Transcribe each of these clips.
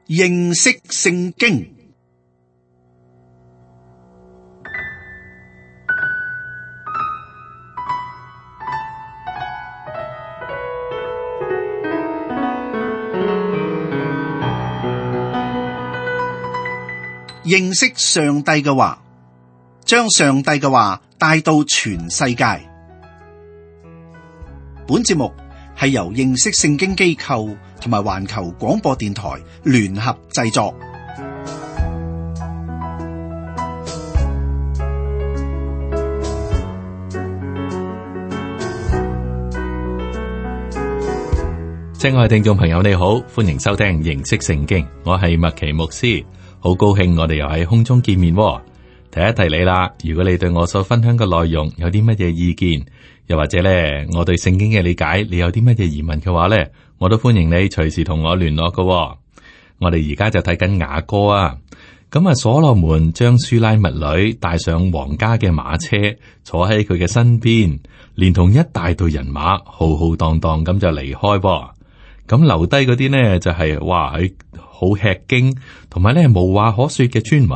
認識聖經。認識上帝嘅話，將上帝嘅話帶到全世界。本節目係由認識聖經機構同埋環球廣播電台聯合製作。親愛聽眾朋友，你好，歡迎收聽認識聖經，我係麥奇牧師。好高興我哋又喺空中見面喎。提一提你啦，如果你對我所分享嘅內容有啲乜嘢意見，又或者咧我對聖經嘅理解，你有啲乜嘢疑問嘅話咧，我都歡迎你隨時同我聯絡㗎喎。我哋而家就睇緊雅歌啊。咁啊，所羅門將書拉密女帶上皇家嘅馬車，坐喺佢嘅身邊，連同一大隊人馬浩浩蕩蕩咁就離開喎。咁留低嗰啲呢，就係哇喺好吃驚，同埋咧無話可說嘅村民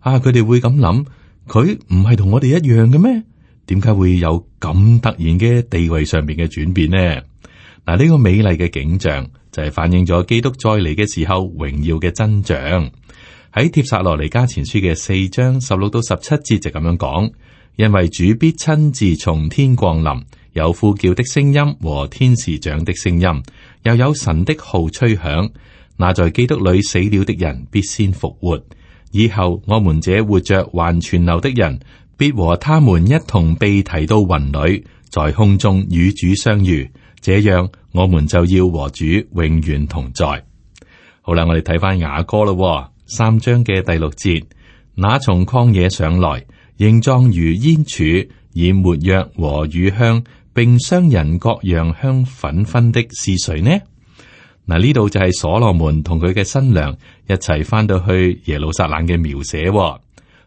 啊！佢哋會咁諗，佢唔係同我哋一樣嘅咩？點解會有咁突然嘅地位上面嘅轉變呢？嗱，呢個美麗嘅景象就係反映咗基督再嚟嘅時候榮耀嘅真相。喺帖撒羅尼迦前書嘅4章16到17節就咁樣講，因為主必親自從天降臨，有呼叫的聲音和天使長的聲音，又有神的號吹響。那在基督裏死了的人必先復活，以後我們這活着還存留的人，必和他們一同被提到雲裏，在空中與主相遇。這樣我們就要和主永遠同在。好啦，我哋睇翻雅歌咯，3章嘅第6節，那從曠野上來，形狀如煙柱，以沒藥和乳香，並商人各樣香紛紛的是誰呢？嗱，呢度就係所羅門同佢嘅新娘一齊翻到去耶路撒冷嘅描寫。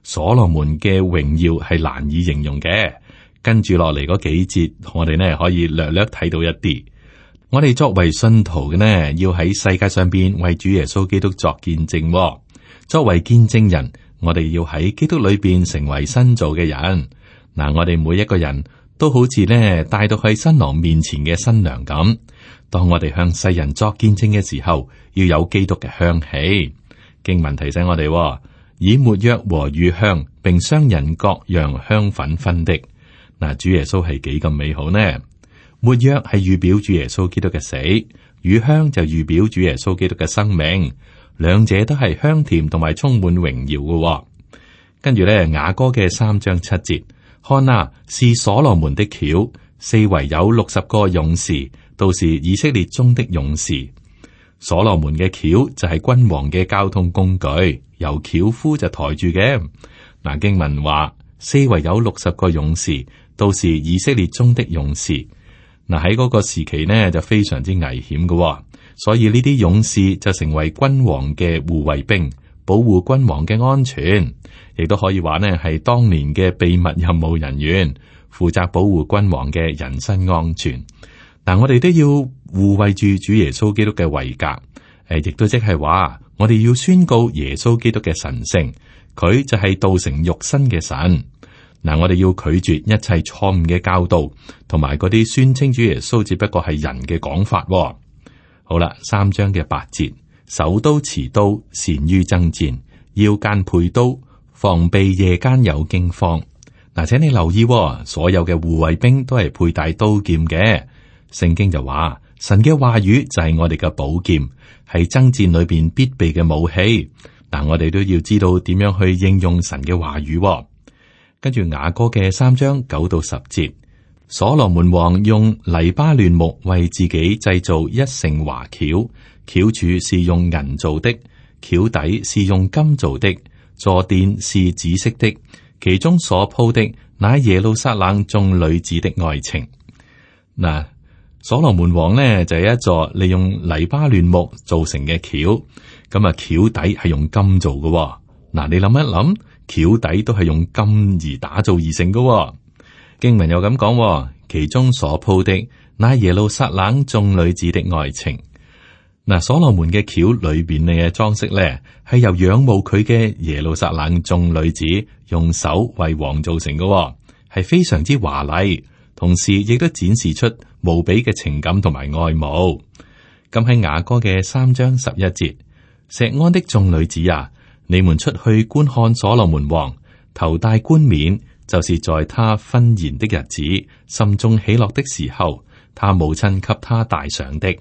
所羅門嘅榮耀係難以形容嘅。跟住落嚟嗰幾節，我哋呢可以略略睇到一啲。我哋作為信徒嘅呢，要喺世界上邊為主耶穌基督作見證。作為見證人，我哋要喺基督裏邊成為新造嘅人。嗱，我哋每一個人都好似呢帶到去新郎面前嘅新娘咁。當我哋向世人作見證嘅時候，要有基督嘅香氣。經文提醒我哋，以沒藥和乳香，並商人各樣香紛紛的。嗱，主耶穌係幾咁美好呢？沒藥係預表主耶穌基督嘅死，乳香就預表主耶穌基督嘅生命。兩者都係香甜同埋充滿榮耀嘅。跟住咧，雅歌嘅3章7節，看啊，是所羅門的轎，四圍有60個勇士。都是以色列中的勇士。所羅門嘅轎就係君王嘅交通工具，由轎夫就抬住嘅。嗱，經文話四圍有60個勇士，都是以色列中的勇士。嗱，喺嗰個時期呢，就非常之危險嘅，所以呢啲勇士就成為君王嘅護衛兵，保護君王嘅安全，亦都可以話呢係當年嘅秘密任務人員，負責保護君王嘅人身安全。嗱，我哋都要護衛住主耶穌基督嘅位格，亦都即係話，我哋要宣告耶穌基督嘅神聖，佢就係道成肉身嘅神。嗱，我哋要拒絕一切錯誤嘅教導，同埋嗰啲宣稱主耶穌只不過係人嘅講法。好啦，3章嘅8節，手刀持刀，善於爭戰，腰間配刀，防備夜間有驚慌。嗱，請你留意，所有嘅護衛兵都係佩戴刀劍嘅。聖經就話，神嘅話語就係我哋嘅寶劍，係爭戰裏邊必備嘅武器。嗱，我哋都要知道點樣去應用神嘅話語。跟住雅歌嘅3章9到10節，所羅門王用黎巴嫩木為自己製造一乘華轎，轎柱是用銀做的，轎底是用金做的，坐墊是紫色的，其中所鋪的乃耶路撒冷眾女子的愛情。嗱，所羅門王呢就係一座利用黎巴嫩木做成嘅轎，咁啊轎底係用金做嘅。嗱，你諗一諗，轎底都係用金而打造而成嘅。經文又咁講，其中所鋪的乃耶路撒冷眾女子的愛情。嗱，所羅門嘅轎裏邊嘅裝飾咧，係由仰慕佢嘅耶路撒冷眾女子用手為王造成嘅，係非常之華麗，同時亦都展示出無比嘅情感同埋愛慕。咁喺雅歌嘅3章11節，錫安的眾女子啊，你們出去觀看所羅門王，頭戴冠冕，就是在他婚筵的日子，心中喜樂的時候，他母親給他戴上的。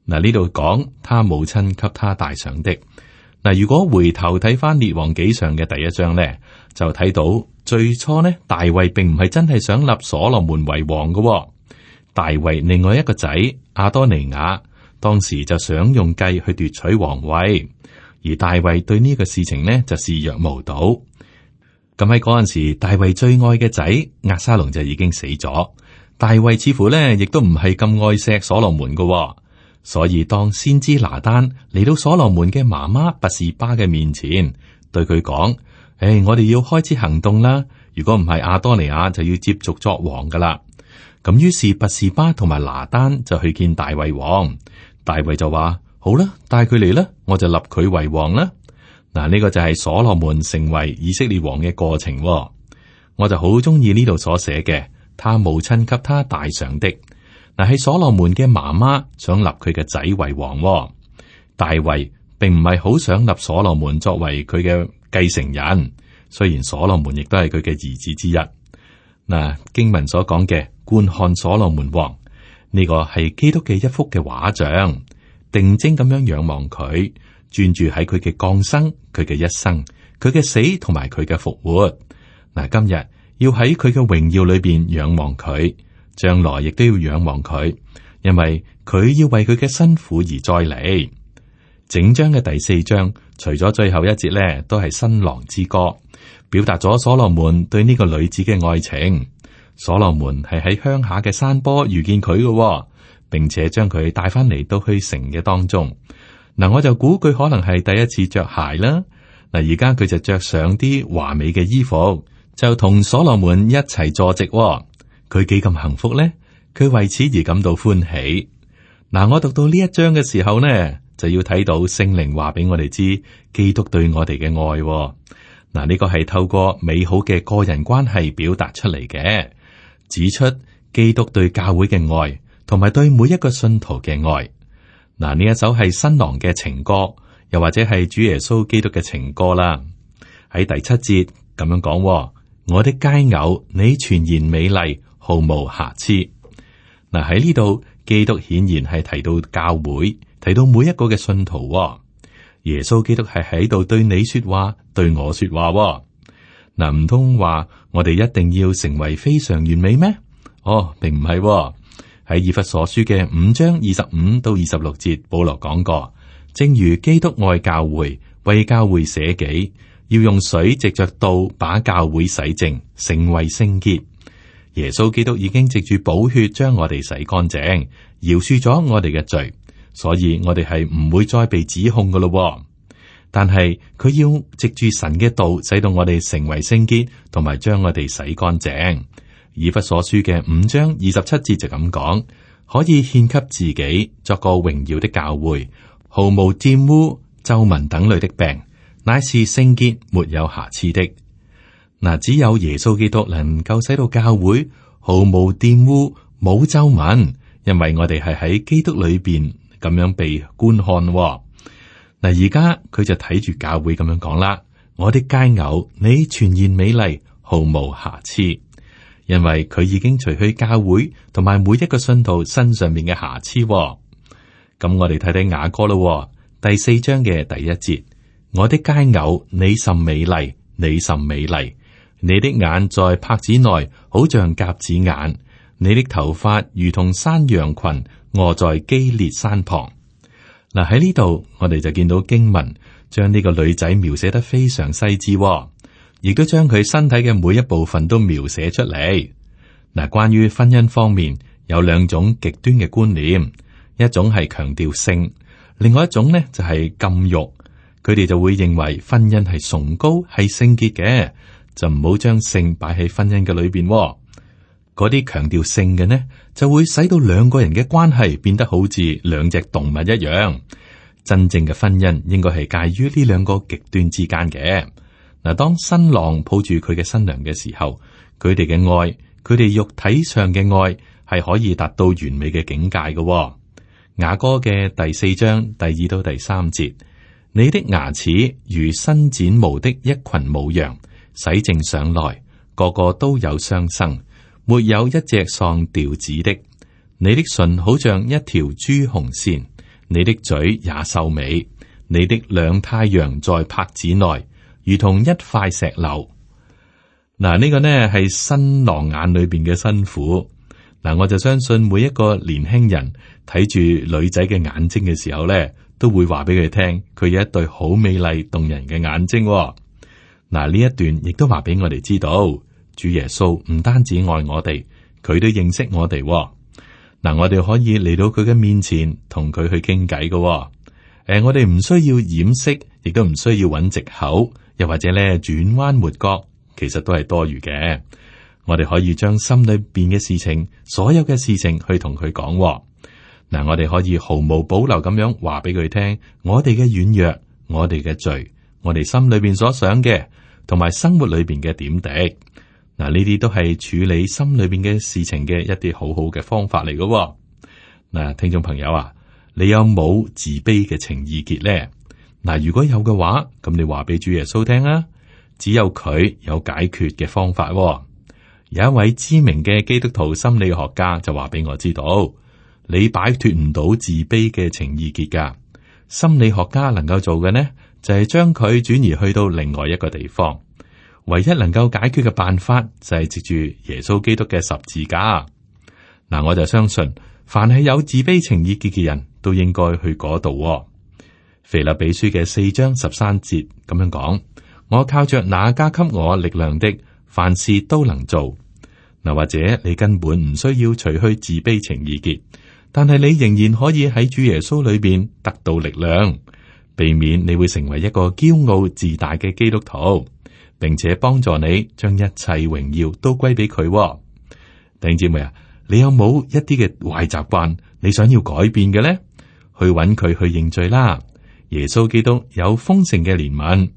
嗱，呢度講他母親給他戴上的。嗱，如果回頭睇翻列王紀上嘅第1章咧，就睇到最初呢，大衛並唔係真係想立所羅門為王嘅。大衛另外一個仔亞多尼雅，當時就想用計去奪取皇位，而大衛對呢個事情呢就視若無睹。咁喺嗰陣時，大衛最愛嘅仔押沙龍就已經死咗，大衛似乎呢亦都唔係咁愛錫所羅門嘅。所以當先知拿單嚟到所羅門嘅媽媽拔示巴嘅面前，對佢講：我哋要開始行動啦！如果唔係，亞多尼雅就要接續作王噶啦。咁於是拔示巴同埋拿單就去見大衛王，大衛就話：好啦，帶佢嚟啦，我就立佢為王啦。嗱，呢個就係所羅門成為以色列王嘅過程。我就好中意呢度所寫嘅，他母親給他戴上的。嗱，係所羅門嘅媽媽想立佢嘅仔為王。大衛並唔係好想立所羅門作為佢嘅繼承人，雖然所羅門亦都係佢嘅兒子之一。嗱，經文所講嘅觀看所羅門王，呢個係基督嘅一幅嘅畫像，定睛咁樣仰望佢，專注喺佢嘅降生、佢嘅一生、佢嘅死同埋佢嘅復活。嗱，今日要喺佢嘅榮耀裏邊仰望佢。將來亦都要仰望佢，因為佢要為佢嘅辛苦而再嚟。整章嘅第4章，除咗最後一節咧，都係新郎之歌，表達咗所羅門對呢個女子嘅愛情。所羅門係喺鄉下嘅山坡遇見佢嘅，並且將佢帶翻嚟到去城嘅當中。嗱，我就估佢可能係第一次着鞋啦。嗱，而家佢就着上啲華美嘅衣服，就同所羅門一齊坐席。佢幾咁幸福呢？佢為此而感到歡喜。嗱，我讀到呢一章嘅時候呢，就要睇到聖靈話俾我哋知，基督對我哋嘅愛。嗱，呢個係透過美好嘅個人關係表達出嚟嘅，指出基督對教會嘅愛，同埋對每一個信徒嘅愛。嗱，呢一首係新郎嘅情歌，又或者係主耶穌基督嘅情歌啦。喺第7節咁樣講：我的佳偶，你全然美麗，毫無瑕疵。嗱，喺呢度，基督顯然係提到教會，提到每一個嘅信徒。耶穌基督係喺度對你說話，對我說話。嗱，唔通話我哋一定要成為非常完美咩？並唔係。喺以弗所書嘅5章25到26節，保羅講過，正如基督愛教會，為教會捨己，要用水藉着道把教會洗淨，成為聖潔。耶穌基督已經藉住寶血將我哋洗乾淨，饒恕咗我哋嘅罪，所以我哋係唔會再被指控噶咯。但係佢要藉住神嘅道，使到我哋成為聖潔，同埋將我哋洗乾淨。以弗所書嘅5章27節就咁講，可以獻給自己作個榮耀的教會，毫無玷污、皺紋等類的病，乃是聖潔沒有瑕疵的。嗱，只有耶穌基督能夠使到教會毫無玷污、冇皺紋，因為我哋係喺基督裏邊咁樣被觀看。嗱，而家佢就睇住教會咁樣講啦：我的佳偶，你全然美麗，毫無瑕疵。因為佢已經除去教會同埋每一個信徒身上面嘅瑕疵。咁我哋睇睇雅歌咯，第4章嘅第1節：我的佳偶，你甚美麗，你甚美麗。你的眼在帕子內，好像鴿子眼；你的頭髮如同山羊群，臥在基列山旁。嗱，喺呢度，我哋就見到經文將呢個女仔描寫得非常細緻，亦都將佢身體嘅每一部分都描寫出嚟。嗱，關於婚姻方面，有2種極端嘅觀念，一種係強調性，另外一種呢就係禁欲。佢哋就會認為婚姻係崇高、係聖潔嘅。就唔好將性擺喺婚姻嘅裏邊。嗰啲強調性嘅呢，就會使到兩個人嘅關係變得好似兩隻動物一樣。真正嘅婚姻應該係介於呢兩個極端之間嘅。嗱，當新郎抱住佢嘅新娘嘅時候，佢哋嘅愛，佢哋肉體上嘅愛係可以達到完美嘅境界嘅。雅歌嘅第4章第2到第3節，你的牙齒如新剪毛的一群母羊，洗淨上來，個個都有雙生，沒有一隻喪掉子的。你的唇好像一條朱紅線，你的嘴也秀美，你的兩太陽在帕子內，如同一塊石榴。嗱，呢個呢係新郎眼裏邊嘅新婦。嗱，我就相信每一個年輕人睇住女仔嘅眼睛嘅時候呢，都會話俾佢聽，佢有一對好美麗動人嘅眼睛。嗱，呢一段亦都話俾我哋知道，主耶穌唔單止愛我哋，佢都認識我哋。嗱，我哋可以嚟到佢嘅面前，同佢去傾偈嘅。我哋唔需要掩飾，亦都唔需要揾藉口，又或者咧轉彎抹角，其實都係多餘嘅。我哋可以將心裏邊嘅事情，所有嘅事情去同佢講。嗱，我哋可以毫無保留咁樣話俾佢聽，我哋嘅軟弱，我哋嘅罪，我哋心裏邊所想嘅，同埋生活裏邊嘅點滴。嗱，呢啲都係處理心裏邊嘅事情嘅一啲好好嘅方法嚟嘅。嗱，聽眾朋友啊，你有冇自卑嘅情意結呢？嗱，如果有嘅話，咁你話俾主耶穌聽啊，只有佢有解決嘅方法。有一位知名嘅基督徒心理學家就話俾我知道，你擺脫唔到自卑嘅情意結噶。心理學家能夠做嘅呢，就係將佢轉移去到另外一個地方。唯一能夠解決嘅辦法就係藉住耶穌基督嘅十字架。嗱，我就相信，凡係有自卑情意結嘅人都應該去嗰度。腓立比書嘅4章13節咁樣講：我靠着那加給我力量的，凡事都能做。嗱，或者你根本唔需要除去自卑情意結，但係你仍然可以喺主耶穌裏邊得到力量，避免你會成為一個驕傲自大嘅基督徒，並且幫助你將一切榮耀都歸俾佢。弟兄姊妹啊，你有冇一啲嘅壞習慣你想要改變嘅呢？去揾佢去認罪啦。耶穌基督有豐盛嘅憐憫。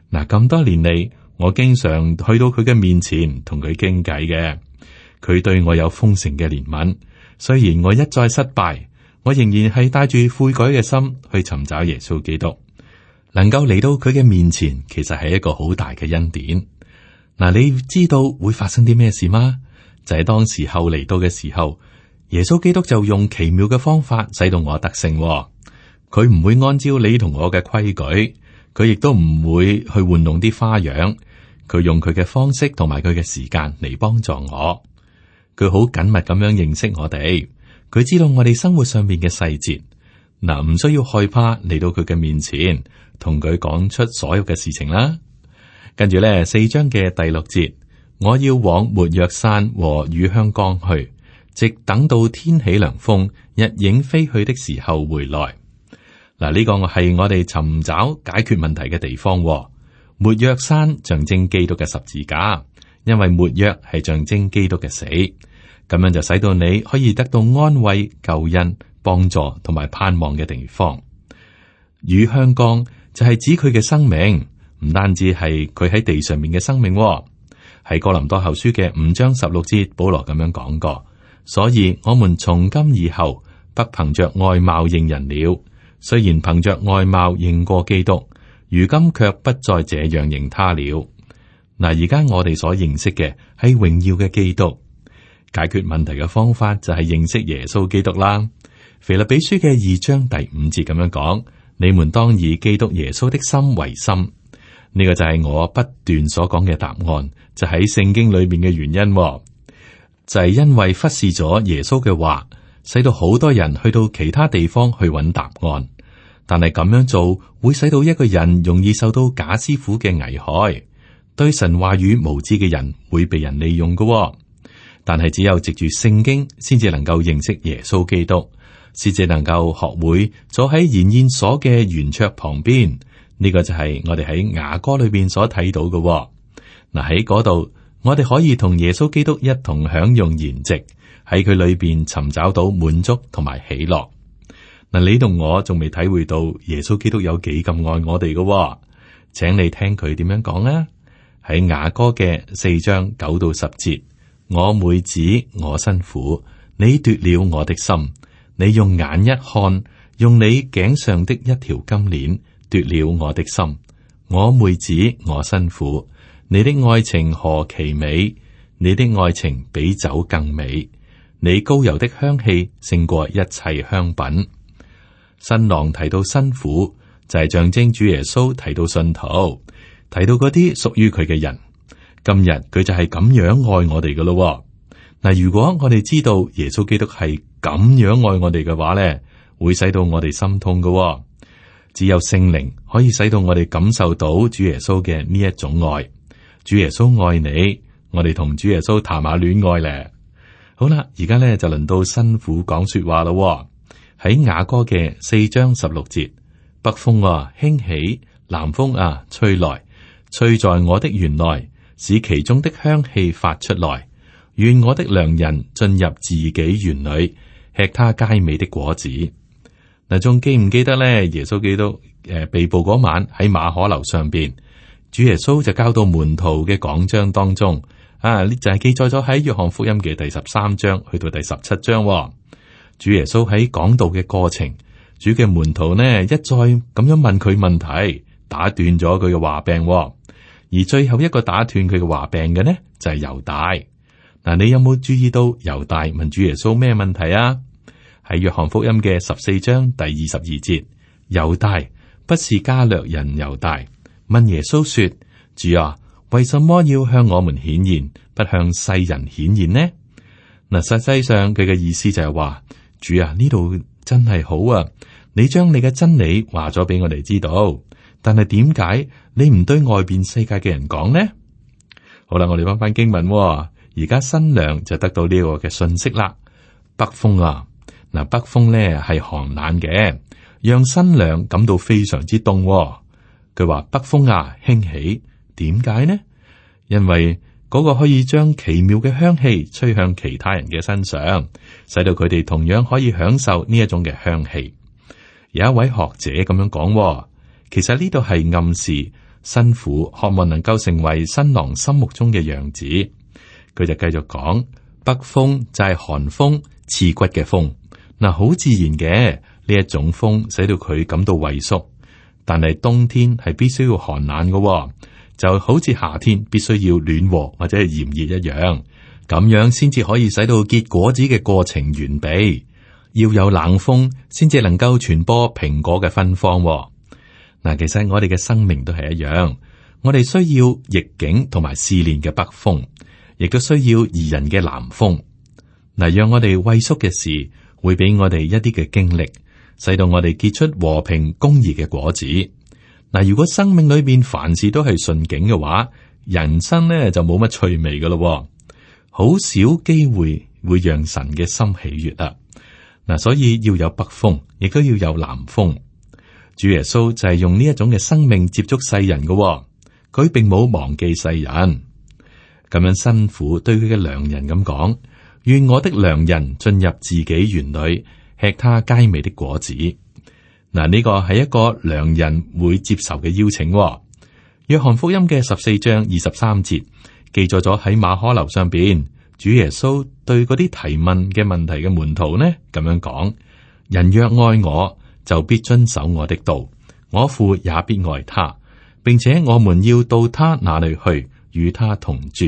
嗱，咁多年嚟，我經常去到佢嘅面前同佢傾偈嘅。佢對我有豐盛嘅憐憫，雖然我一再失敗，我仍然係帶住悔改嘅心去尋找耶穌基督。能夠嚟到佢嘅面前，其實係一個好大嘅恩典。嗱，你知道會發生啲咩事嗎？就係當時候嚟到嘅時候，耶穌基督就用奇妙嘅方法使到我得勝。佢唔會按照你同我嘅規矩，佢亦都唔會去玩弄啲花樣。佢用佢嘅方式同埋佢嘅時間嚟幫助我。佢好緊密咁樣認識我哋，佢知道我哋生活上面嘅細節。嗱，唔需要害怕嚟到佢嘅面前，同佢講出所有嘅事情啦。跟住咧，4章嘅第6節，我要往沒藥山和乳香岡去，直等到天起涼風，日影飛去的時候回來。嗱，呢個係我哋尋找解決問題嘅地方。沒藥山象徵基督嘅十字架，因為沒藥係象徵基督嘅死，咁樣就使到你可以得到安慰、救恩、幫助同埋盼望嘅地方。乳香岡就係指佢嘅生命，唔單止係佢喺地上面嘅生命。喺哥林多後書嘅5章16節，保羅咁樣講過，所以我們從今以後不憑着外貌認人了，雖然憑着外貌認過基督，如今卻不再這樣認他了。嗱，而家我哋所認識嘅係榮耀嘅基督。解決問題嘅方法就係認識耶穌基督啦。腓立比書嘅2章第5節咁樣講：你們當以基督耶穌的心為心。呢個就係我不斷所講嘅答案，就喺聖經裏面嘅原因，就係因為忽視咗耶穌嘅話，使到好多人去到其他地方去揾答案。但係咁樣做會使到一個人容易受到假師傅嘅危害，對神話語無知嘅人會被人利用嘅。但係只有藉住聖經，先至能夠認識耶穌基督，先至能夠學會坐喺筵宴所嘅圓桌旁邊。呢個就係我哋喺雅歌裏邊所睇到嘅。嗱，喺嗰度，我哋可以同耶穌基督一同享用筵席，喺佢裏邊尋找到滿足同埋喜樂。嗱，你同我仲未體會到耶穌基督有幾咁愛我哋嘅，請你聽佢點樣講啊！喺雅歌嘅4章9到10節，我妹子，我新婦，你奪了我的心，你用眼一看，用你頸上的一條金鏈奪了我的心。我妹子，我新婦，你的愛情何其美，你的愛情比酒更美，你膏油的香氣勝過一切香品。新郎提到新婦，就係象徵主耶穌提到信徒，提到嗰啲屬於佢嘅人。今日佢就係咁樣愛我哋噶咯。嗱，如果我哋知道耶穌基督係咁樣愛我哋嘅話咧，會使到我哋心痛噶。只有聖靈可以使到我哋感受到主耶穌嘅呢一種愛。主耶穌愛你，我哋同主耶穌談下戀愛咧。好啦，而家咧就輪到新婦講說話咯。喺雅歌嘅4章16節，北風啊興起，南風啊吹來，吹在我的園內，使其中的香氣發出來。願我的良人進入自己園裏，吃他佳美的果子。嗱，仲記唔記得咧？耶穌基督被捕嗰晚喺馬可樓上邊，主耶穌就交到門徒嘅講章當中啊，呢就係記載咗喺約翰福音嘅第13章去到第17章。主耶穌喺講道嘅過程，主嘅門徒呢一再咁樣問佢問題，打斷咗佢嘅話柄。而最後一個打斷佢嘅話柄嘅呢，就係猶大。嗱，你有冇注意到猶大問主耶穌咩問題啊？喺約翰福音嘅14章第22節，猶大不是加略人猶大問耶穌說：主啊，為什麼要向我們顯現，不向世人顯現呢？嗱，實際上佢嘅意思就係話：主啊，呢度真係好啊！你將你嘅真理話咗俾我哋知道，但係點解你唔對外邊世界嘅人講呢？好啦，我哋翻經文，而家新娘就得到呢個嘅信息啦。北風啊，嗱，北風咧係寒冷嘅，讓新娘感到非常之凍。佢話北風啊興起，點解呢？因為嗰個可以將奇妙嘅香氣吹向其他人嘅身上，使到佢哋同樣可以享受呢一種嘅香氣。有一位學者咁樣講，其實呢度係暗示新婦渴望能夠成為新郎心目中嘅樣子。佢就繼續講，北風就係寒風，刺骨嘅風。嗱，好自然嘅呢一種風，使到佢感到畏縮。但係冬天係必須要寒冷嘅。就好似夏天必須要暖和或者係炎熱一樣，咁樣先至可以使到結果子嘅過程完備。要有冷風先至能夠傳播蘋果嘅芬芳。嗱，其實我哋嘅生命都係一樣，我哋需要逆境同埋試煉嘅北風，亦都需要宜人嘅南風。嗱，讓我哋畏縮嘅事會俾我哋一啲嘅經歷，使到我哋結出和平公義嘅果子。嗱，如果生命裏邊凡事都係順境嘅話，人生咧就冇乜趣味噶咯，好少機會會讓神嘅心喜悦啊！嗱，所以要有北風，亦都要有南風。主耶穌就係用呢一種嘅生命接觸世人嘅，佢並冇忘記世人。咁樣新婦對佢嘅良人咁講：願我的良人進入自己園裏，吃他佳美的果子。嗱，呢個係一個良人會接受嘅邀請。約翰福音嘅14章23節記載咗喺馬可樓上邊，主耶穌對嗰啲提問嘅問題嘅門徒呢咁樣講：人若愛我，就必遵守我的道，我父也必愛他，並且我們要到他那裏去，與他同住。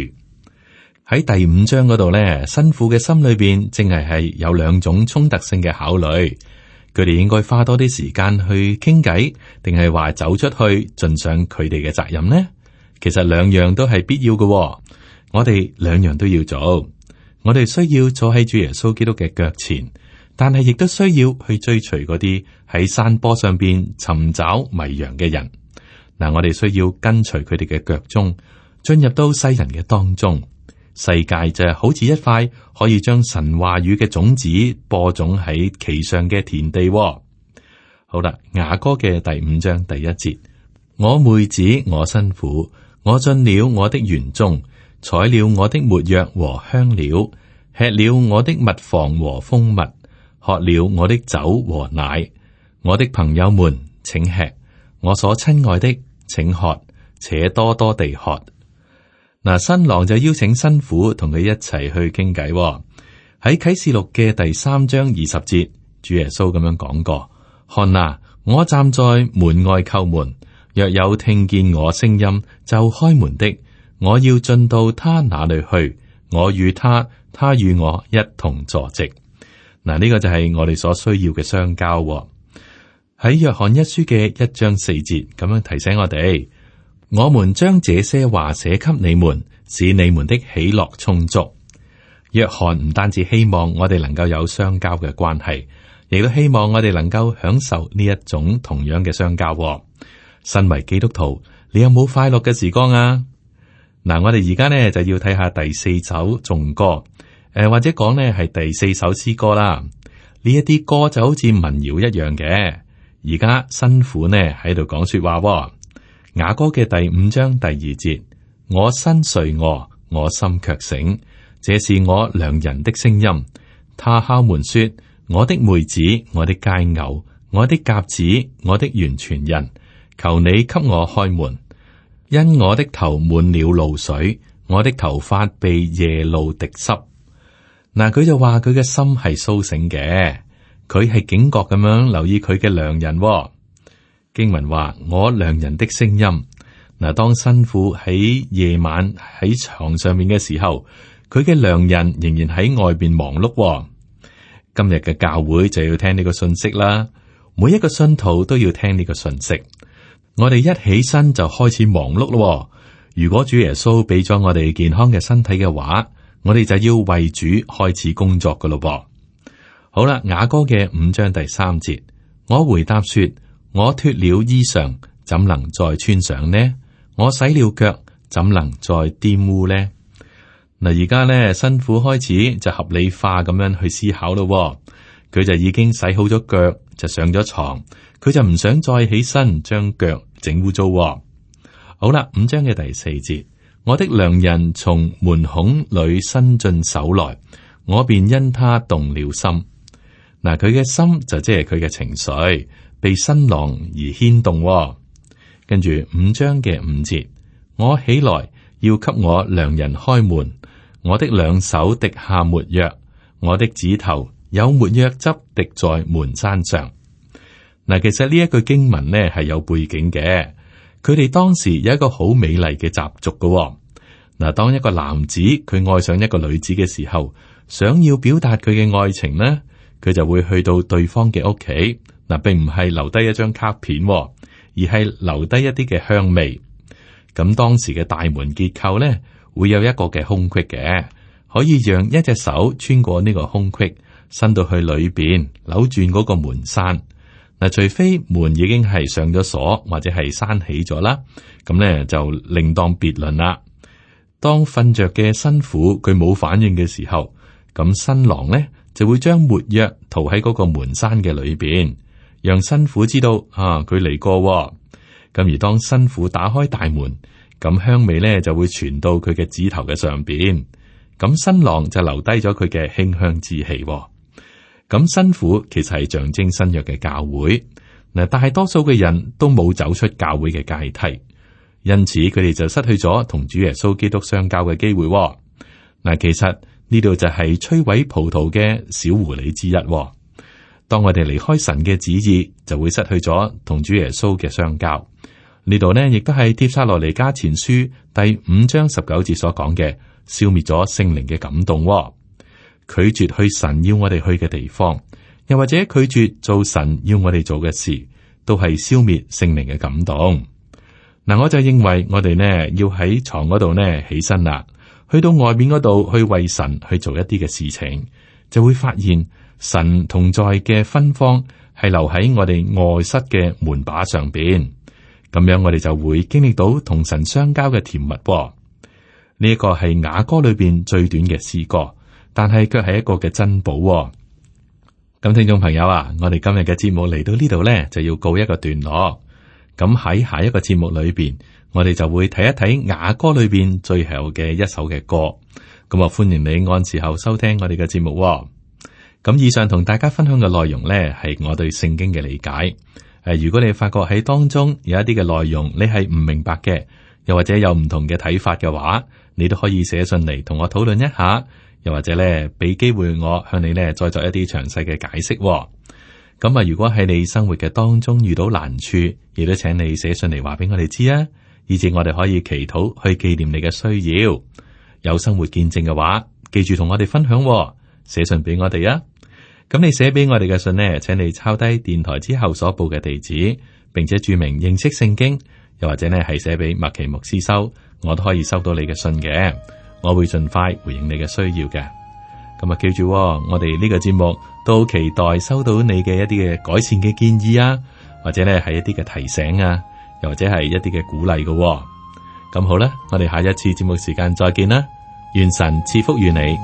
喺第5章嗰度呢，新婦嘅心裏邊正係有兩種衝突性嘅考慮。佢哋應該花多啲時間去傾偈，定係話走出去盡上佢哋嘅責任呢？其實兩樣都係必要嘅。我哋兩樣都要做。我哋需要坐喺主耶穌基督嘅腳前，但係亦都需要去追隨嗰啲喺山坡上邊尋找迷羊嘅人。嗱，我哋需要跟隨佢哋嘅腳蹤，進入到世人嘅當中。世界就係好似一塊可以將神話語嘅種子播種喺其上嘅田地。好啦，雅歌嘅第5章第1節：我妹子，我新婦，我進了我的園中，採了我的沒藥和香料，吃了我的蜜房和蜂蜜，喝了我的酒和奶。我的朋友們，請吃，我所親愛的，請喝，且多多地喝。嗱，新郎就邀請新婦同佢一齊去傾偈。喺啟示錄嘅第3章20節，主耶穌咁樣講過：看哪，我站在門外叩門，若有聽見我聲音就開門的，我要進到他那裏去，我與他，他與我一同坐席。嗱，呢個就係我哋所需要嘅相交。喺約翰一書嘅1章4節咁樣提醒我哋：我們將這些話寫給你們，使你們的喜樂充足。約翰唔單止希望我哋能夠有相交嘅關係，亦都希望我哋能夠享受呢一種同樣嘅相交。身為基督徒，你有冇快樂嘅時光啊？嗱，我哋而家呢就要睇下第4首頌歌，或者講呢係第4首詩歌啦。呢一啲歌就好似民謠一樣嘅。而家新婦呢喺度講說話。雅歌嘅第5章第2節，我身睡臥，我心卻醒，這是我良人的聲音。他敲門說：我的妹子，我的佳偶，我的鴿子，我的完全人，求你給我開門。因我的頭滿了露水，我的頭髮被夜露滴濕。嗱，佢就話佢嘅心係蘇醒嘅，佢係警覺咁樣留意佢嘅良人。經文話我良人的聲音。嗱，當新婦喺夜晚喺床上面嘅時候，佢嘅良人仍然喺外邊忙碌。今日嘅教會就要聽呢個信息啦，每一個信徒都要聽呢個信息。我哋一起身就開始忙碌咯。如果主耶穌俾咗我哋健康嘅身體嘅話，我哋就要為主開始工作噶咯。好啦，雅歌嘅5章第3節，我回答說：我脫了衣裳，怎能再穿上呢？我洗了腳，怎能再玷污呢？嗱，而家呢，新婦開始就合理化咁樣去思考咯。佢就已經洗好咗腳，就上咗床，佢就唔想再起身將腳整污糟。好啦，5章嘅第4節，我的良人從門孔裏伸進手來，我便因他動了心。嗱，佢嘅心就即係佢嘅情緒，被新郎而牽動。跟住5章嘅5節，我起來要給我良人開門，我的兩手滴下沒藥，我的指頭有沒藥汁滴在門閂上。嗱，其實呢一句經文呢係有背景嘅，佢哋當時有一個好美麗嘅習俗嘅。嗱，當一個男子佢愛上一個女子嘅時候，想要表達佢嘅愛情呢，佢就會去到對方嘅屋企。嗱，並唔係留低一張卡片，而係留低一啲嘅香味。咁當時嘅大門結構呢，會有一個嘅空隙嘅，可以讓一隻手穿過呢個空隙，伸到去裏邊扭轉嗰個門閂。嗱，除非門已經係上咗鎖或者係閂起咗啦，咁呢就另當別論啦。當瞓着嘅新婦佢冇反應嘅時候，咁新郎呢就會將沒藥塗喺嗰個門閂嘅裏邊，讓新婦知道佢嚟過。咁而當新婦打開大門，咁香味咧就會傳到佢嘅指頭嘅上邊。咁新郎就留低咗佢嘅馨香之氣。咁新婦其實係象徵新約嘅教會。嗱，大多數嘅人都冇走出教會嘅階梯，因此佢哋就失去咗同主耶穌基督相交嘅機會。嗱，其實呢度就係摧毀葡萄嘅小狐狸之一。當我哋離開神嘅旨意，就會失去咗同主耶穌嘅相交。呢度呢，亦都係帖撒羅尼迦前書第5章19節所講嘅，消滅咗聖靈嘅感動。拒絕去神要我哋去嘅地方，又或者拒絕做神要我哋做嘅事，都係消滅聖靈嘅感動。嗱，我就認為我哋呢要喺床嗰度呢起身啦，去到外面嗰度去為神去做一啲嘅事情，就會發現神同在嘅芬芳係留喺我哋臥室嘅門把上邊。咁樣我哋就會經歷到同神相交嘅甜蜜。呢一個係雅歌裏邊最短嘅詩歌，但係卻係一個嘅珍寶。咁聽眾朋友啊，我哋今日嘅節目嚟到呢度呢，就要告一個段落。咁喺下一個節目裏邊，我哋就會睇一睇雅歌裏邊最後嘅一首嘅歌。咁啊，歡迎你按時候收聽我哋嘅節目。咁以上同大家分享嘅內容呢，係我對聖經嘅理解。如果你發覺喺當中有一啲嘅內容你係唔明白嘅，又或者有唔同嘅睇法嘅話，你都可以寫信嚟同我討論一下，又或者咧俾機會我向你咧再作一啲詳細嘅解釋。咁啊，如果喺你生活嘅當中遇到難處，亦都請你寫信嚟話俾我哋知啊，以至我哋可以祈禱去紀念你嘅需要。有生活見證嘅話，記住同我哋分享，寫信俾我哋啊。咁你寫俾我哋嘅信呢，請你抄低電台之後所報嘅地址，並且注明認識聖經，又或者呢係寫俾麥奇牧師收，我都可以收到你嘅信嘅。我會盡快回應你嘅需要嘅。咁啊，記住，我哋呢個節目都期待收到你嘅一啲嘅改善嘅建議啊，或者呢係一啲嘅提醒啊，又或者係一啲嘅鼓勵嘅。咁好啦，我哋下一次節目時間再見啦，願神賜福於你。